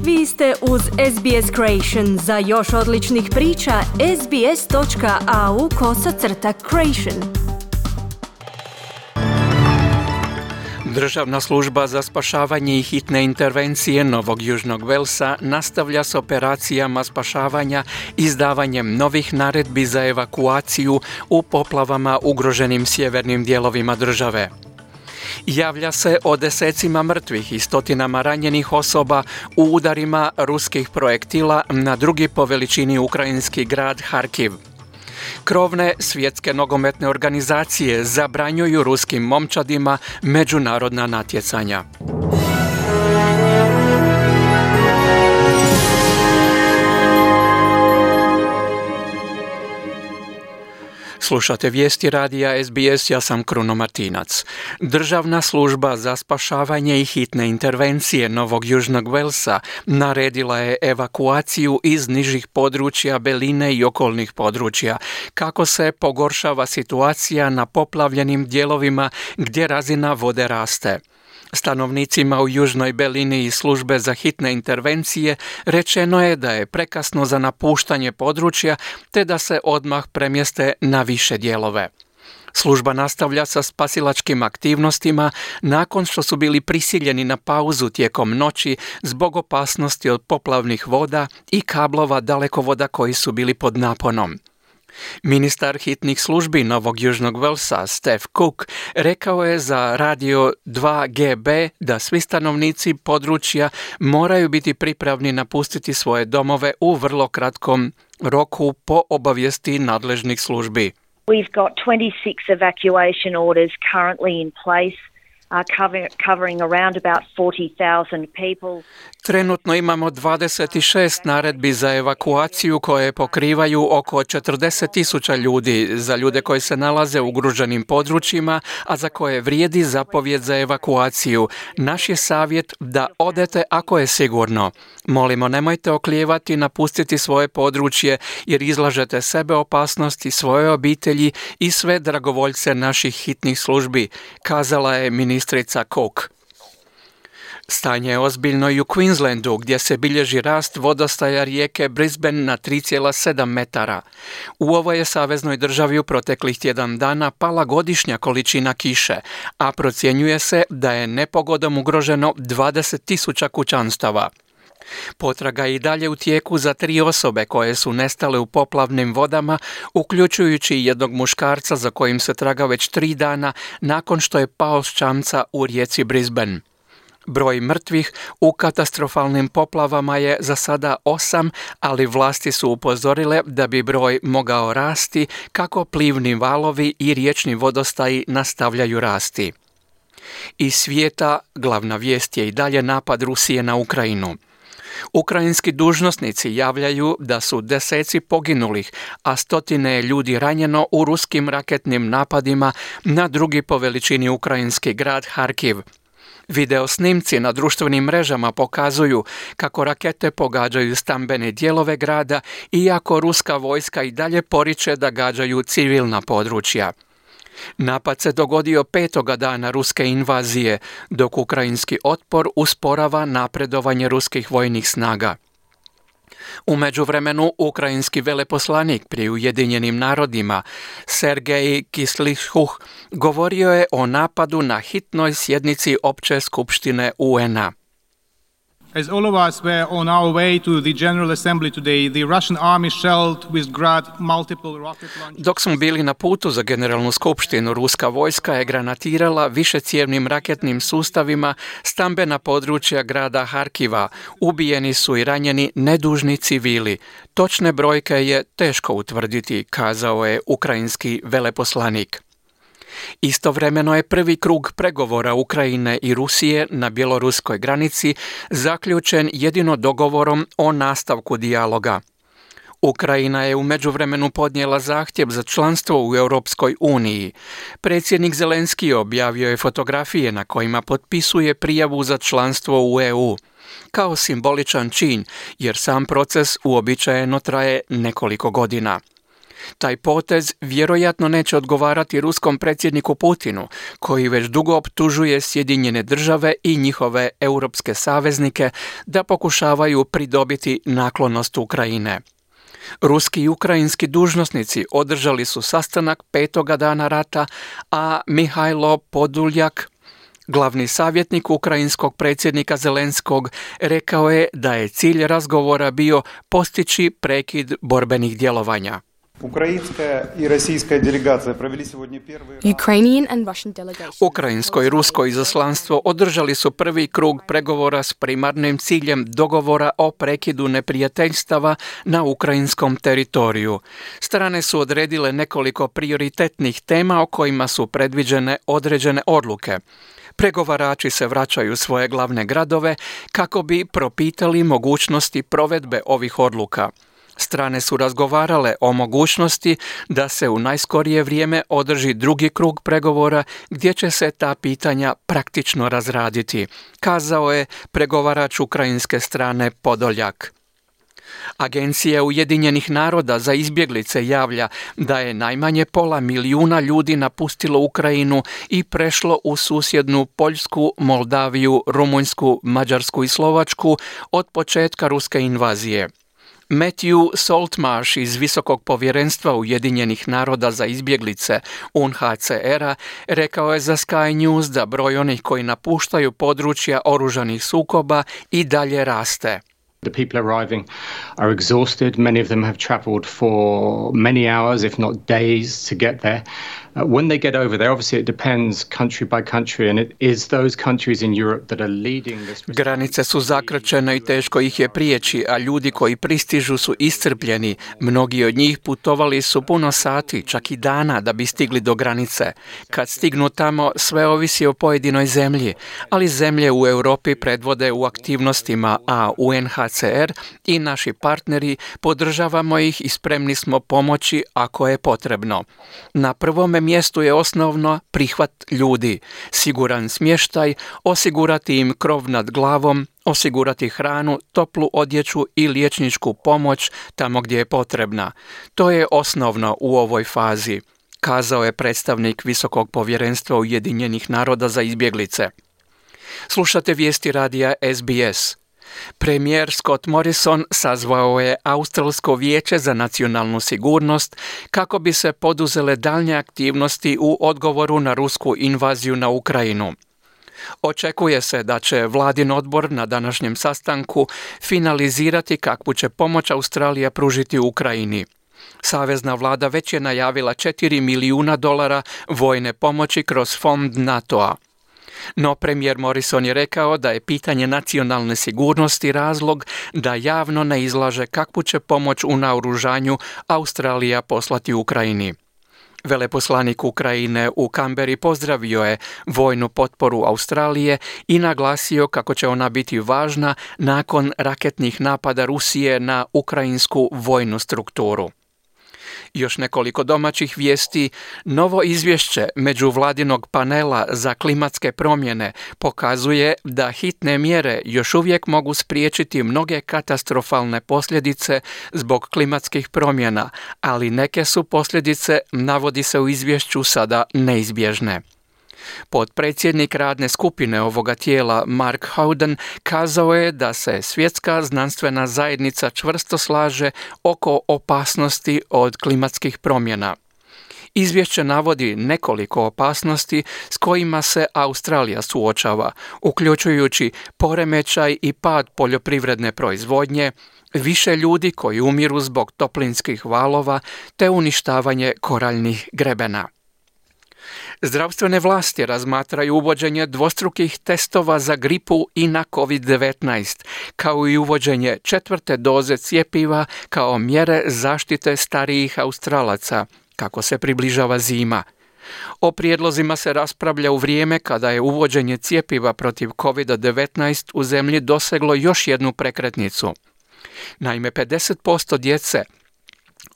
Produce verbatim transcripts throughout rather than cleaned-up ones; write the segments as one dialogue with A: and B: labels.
A: Vi ste uz S B S Creation. Za još odličnih priča, sbs.au kosacrta creation.
B: Državna služba za spašavanje i hitne intervencije Novog Južnog Velsa nastavlja s operacijama spašavanja izdavanjem novih naredbi za evakuaciju u poplavama ugroženim sjevernim dijelovima države. Javlja se o desecima mrtvih i stotinama ranjenih osoba u udarima ruskih projektila na drugi po veličini ukrajinski grad Harkiv. Krovne svjetske nogometne organizacije zabranjuju ruskim momčadima međunarodna natjecanja. Slušate vijesti radija S B S, ja sam Kruno Martinac. Državna služba za spašavanje i hitne intervencije Novog Južnog Velsa naredila je evakuaciju iz nižih područja Beline i okolnih područja, kako se pogoršava situacija na poplavljenim dijelovima gdje razina vode raste. Stanovnicima u Južnoj Belini i službe za hitne intervencije rečeno je da je prekasno za napuštanje područja te da se odmah premjeste na više dijelove. Služba nastavlja sa spasilačkim aktivnostima nakon što su bili prisiljeni na pauzu tijekom noći zbog opasnosti od poplavnih voda i kablova dalekovoda koji su bili pod naponom. Ministar hitnih službi Novog Južnog Velsa, Steve Cook, rekao je za radio dva G B da svi stanovnici područja moraju biti pripravni napustiti svoje domove u vrlo kratkom roku po obavijesti nadležnih službi.
C: We've got twenty-six evacuation orders currently in place. Uh, cover, covering around about forty thousand people.
B: Trenutno imamo dvadeset šest naredbi za evakuaciju koje pokrivaju oko četrdeset tisuća ljudi, za ljude koji se nalaze u ugroženim područjima, a za koje vrijedi zapovjed za evakuaciju. Naš je savjet da odete ako je sigurno. Molimo, nemojte oklijevati napustiti svoje područje jer izlažete sebe opasnosti, svoje obitelji i sve dragovoljce naših hitnih službi, kazala je ministrica Cook. Stanje je ozbiljno i u Queenslandu, gdje se bilježi rast vodostaja rijeke Brisbane na tri zarez sedam metara. U ovoj je saveznoj državi u proteklih tjedan dana pala godišnja količina kiše, a procjenjuje se da je nepogodom ugroženo dvadeset tisuća kućanstava. Potraga je i dalje u tijeku za tri osobe koje su nestale u poplavnim vodama, uključujući jednog muškarca za kojim se traga već tri dana nakon što je pao s čamca u rijeci Brisbane. Broj mrtvih u katastrofalnim poplavama je za sada osam, ali vlasti su upozorile da bi broj mogao rasti kako plivni valovi i riječni vodostaji nastavljaju rasti. Iz svijeta glavna vijest je i dalje napad Rusije na Ukrajinu. Ukrajinski dužnosnici javljaju da su deseci poginulih, a stotine je ljudi ranjeno u ruskim raketnim napadima na drugi po veličini ukrajinski grad Harkiv. Video snimci na društvenim mrežama pokazuju kako rakete pogađaju stambene dijelove grada, iako ruska vojska i dalje poriče da gađaju civilna područja. Napad se dogodio petoga dana ruske invazije, dok ukrajinski otpor usporava napredovanje ruskih vojnih snaga. U međuvremenu, ukrajinski veleposlanik pri Ujedinjenim narodima, Sergej Kislyuch, govorio je o napadu na hitnoj sjednici Opće skupštine U N A.
D: As all of us were on our way to the General Assembly today, the Russian army shelled with grad multiple rocket launchers.
B: Dok smo bili na putu za Generalnu skupštinu, ruska vojska je granatirala višecijevnim raketnim sustavima stambena područja grada Harkiva. Ubijeni su i ranjeni nedužni civili. Točne brojke je teško utvrditi, kazao je ukrajinski veleposlanik. Istovremeno je prvi krug pregovora Ukrajine i Rusije na bjeloruskoj granici zaključen jedino dogovorom o nastavku dijaloga. Ukrajina je u međuvremenu podnijela zahtjev za članstvo u Europskoj uniji. Predsjednik Zelenski objavio je fotografije na kojima potpisuje prijavu za članstvo u E U. Kao simboličan čin, jer sam proces uobičajeno traje nekoliko godina. Taj potez vjerojatno neće odgovarati ruskom predsjedniku Putinu, koji već dugo optužuje Sjedinjene države i njihove europske saveznike da pokušavaju pridobiti naklonost Ukrajine. Ruski i ukrajinski dužnosnici održali su sastanak petoga dana rata, a Mihajlo Podoljak, glavni savjetnik ukrajinskog predsjednika Zelenskog, rekao je da je cilj razgovora bio postići prekid borbenih djelovanja. Ukrajinsko i rusko izaslanstvo održali su prvi krug pregovora s primarnim ciljem dogovora o prekidu neprijateljstava na ukrajinskom teritoriju. Strane su odredile nekoliko prioritetnih tema o kojima su predviđene određene odluke. Pregovarači se vraćaju u svoje glavne gradove kako bi propitali mogućnosti provedbe ovih odluka. Strane su razgovarale o mogućnosti da se u najskorije vrijeme održi drugi krug pregovora gdje će se ta pitanja praktično razraditi, kazao je pregovarač ukrajinske strane Podoljak. Agencija Ujedinjenih naroda za izbjeglice javlja da je najmanje pola milijuna ljudi napustilo Ukrajinu i prešlo u susjednu Poljsku, Moldaviju, Rumunjsku, Mađarsku i Slovačku od početka ruske invazije. Matthew Saltmarsh iz Visokog povjerenstva Ujedinjenih naroda za izbjeglice U N H C R-a rekao je za Sky News da broj onih koji napuštaju područja oružanih sukoba i dalje raste.
E: The people arriving are exhausted. Many of them have traveled for many hours, if not days, to get there. Uh, when they get over there, obviously it depends country by country, and it is those countries in Europe that are leading this.
B: Granice su zakrčene i teško ih je prijeći, a ljudi koji pristižu su iscrpljeni. Mnogi od njih putovali su puno sati, čak i dana, da bi stigli do granice. Kad stignu tamo, sve ovisi o pojedinoj zemlji, ali zemlje u Europi predvode u aktivnostima, a U N H C R i naši partneri podržavamo ih i spremni smo pomoći ako je potrebno. Na prvome mjestu je osnovno prihvat ljudi, siguran smještaj, osigurati im krov nad glavom, osigurati hranu, toplu odjeću i liječničku pomoć tamo gdje je potrebna. To je osnovno u ovoj fazi, kazao je predstavnik Visokog povjerenstva Ujedinjenih naroda za izbjeglice. Slušate vijesti radija S B S. Premijer Scott Morrison sazvao je Australsko vijeće za nacionalnu sigurnost kako bi se poduzele daljnje aktivnosti u odgovoru na rusku invaziju na Ukrajinu. Očekuje se da će vladin odbor na današnjem sastanku finalizirati kakvu će pomoć Australija pružiti Ukrajini. Savezna vlada već je najavila četiri milijuna dolara vojne pomoći kroz fond NATO-a. No premijer Morrison je rekao da je pitanje nacionalne sigurnosti razlog da javno ne izlaže kakvu će pomoć u naoružanju Australija poslati Ukrajini. Veleposlanik Ukrajine u Kamberi pozdravio je vojnu potporu Australije i naglasio kako će ona biti važna nakon raketnih napada Rusije na ukrajinsku vojnu strukturu. Još nekoliko domaćih vijesti. Novo izvješće međuvladinog panela za klimatske promjene pokazuje da hitne mjere još uvijek mogu spriječiti mnoge katastrofalne posljedice zbog klimatskih promjena, ali neke su posljedice, navodi se u izvješću, sada neizbježne. Potpredsjednik radne skupine ovoga tijela Mark Howden kazao je da se svjetska znanstvena zajednica čvrsto slaže oko opasnosti od klimatskih promjena. Izvješće navodi nekoliko opasnosti s kojima se Australija suočava, uključujući poremećaj i pad poljoprivredne proizvodnje, više ljudi koji umiru zbog toplinskih valova te uništavanje koraljnih grebena. Zdravstvene vlasti razmatraju uvođenje dvostrukih testova za gripu i na covid devetnaest, kao i uvođenje četvrte doze cjepiva kao mjere zaštite starijih Australaca, kako se približava zima. O prijedlozima se raspravlja u vrijeme kada je uvođenje cjepiva protiv covid devetnaest u zemlji doseglo još jednu prekretnicu. Naime, pedeset posto djece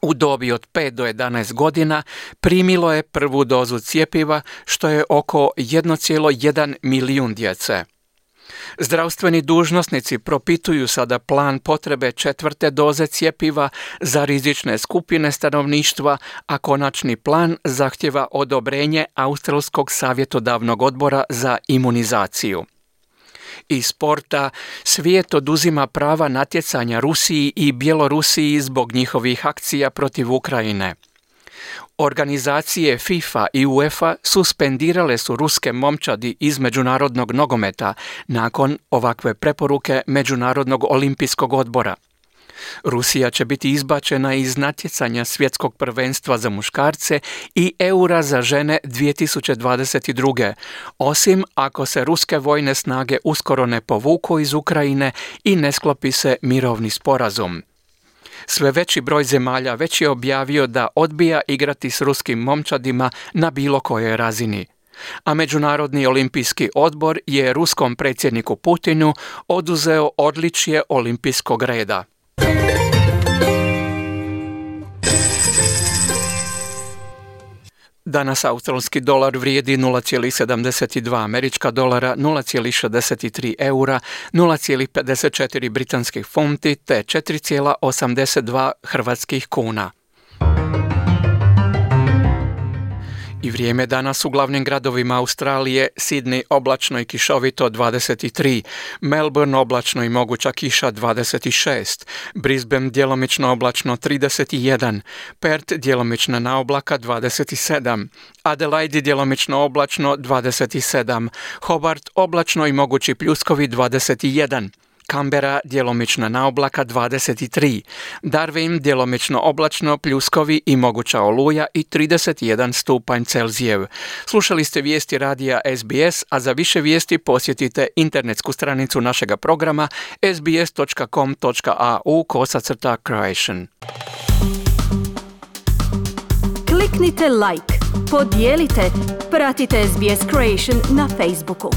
B: u dobi od pet do jedanaest godina primilo je prvu dozu cjepiva, što je oko jedan zarez jedan milijun djece. Zdravstveni dužnosnici propituju sada plan potrebe četvrte doze cjepiva za rizične skupine stanovništva, a konačni plan zahtjeva odobrenje Australskog savjetodavnog odbora za imunizaciju. Iz sporta, svijet oduzima prava natjecanja Rusiji i Bjelorusiji zbog njihovih akcija protiv Ukrajine. Organizacije FIFA i UEFA suspendirale su ruske momčadi iz međunarodnog nogometa nakon ovakve preporuke Međunarodnog olimpijskog odbora. Rusija će biti izbačena iz natjecanja svjetskog prvenstva za muškarce i Eura za žene dvije tisuće dvadeset druge, osim ako se ruske vojne snage uskoro ne povuku iz Ukrajine i ne sklopi se mirovni sporazum. Sve veći broj zemalja već je objavio da odbija igrati s ruskim momčadima na bilo kojoj razini. A Međunarodni olimpijski odbor je ruskom predsjedniku Putinu oduzeo odličje olimpijskog reda. Danas australski dolar vrijedi nula zarez sedamdeset dva američka dolara, nula zarez šezdeset tri eura, nula zarez pedeset četiri britanskih funti te četiri zarez osamdeset dva hrvatskih kuna. I vrijeme danas u glavnim gradovima Australije: Sydney oblačno i kišovito dvadeset tri, Melbourne oblačno i moguća kiša dvadeset šest, Brisbane djelomično oblačno trideset jedan, Perth djelomična na oblaka dvadeset sedam, Adelaide djelomično oblačno dvadeset sedam, Hobart oblačno i mogući pljuskovi dvadeset jedan, Canberra djelomična na oblaka dvadeset tri, Darwin djelomično oblačno, pljuskovi i moguća oluja i trideset jedan stupanj Celzijev. Slušali ste vijesti radija S B S, a za više vijesti posjetite internetsku stranicu našega programa s b s dot com dot a u kosacrta Croatian.
A: Kliknite like, podijelite, pratite S B S Croatian na Facebooku.